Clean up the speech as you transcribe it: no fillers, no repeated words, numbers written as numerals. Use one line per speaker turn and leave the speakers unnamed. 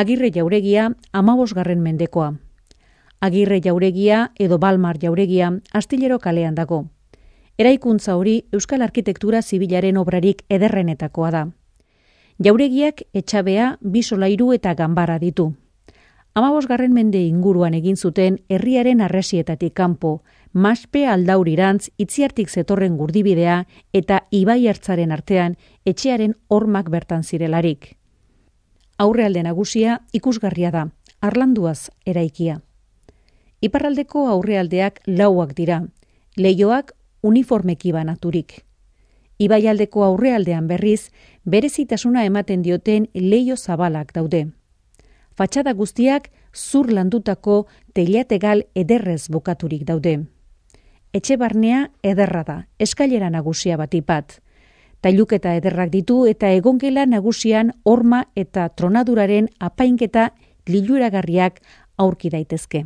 Agirre jauregia 15. mendekoa. Agirre jauregia edo Balmar jauregia Astillero kalean dago. Eraikuntza hori Euskal Arkitektura Zibilaren obrarik ederrenetakoa da. Jauregiak etxabea, 2 solairu eta ganbara ditu. 15. mende inguruan egin zuten herriaren arresietatik kanpo, Maspe Aldaurirantz Itziartik zetorren gurdibidea eta Ibai Ertzaren artean etxearen hormak bertan zirelarik. Aurrealde nagusia ikusgarria da, harlanduaz eraikia. Iparraldeko aurrealdeak lauak dira, leihoak uniformeki banaturik. Ibaialdeko aurrealdean berriz, berezitasuna ematen dioten leiho zabalak daude. Fatxada guztiak zur landutako teilategal ederrez bukaturik daude. Etxe barnea ederra da, eskailera nagusia batipat. Tailuketa ederrak ditu eta egongela nagusian horma eta tronaduraren apainketa liluragarriak aurki daitezke.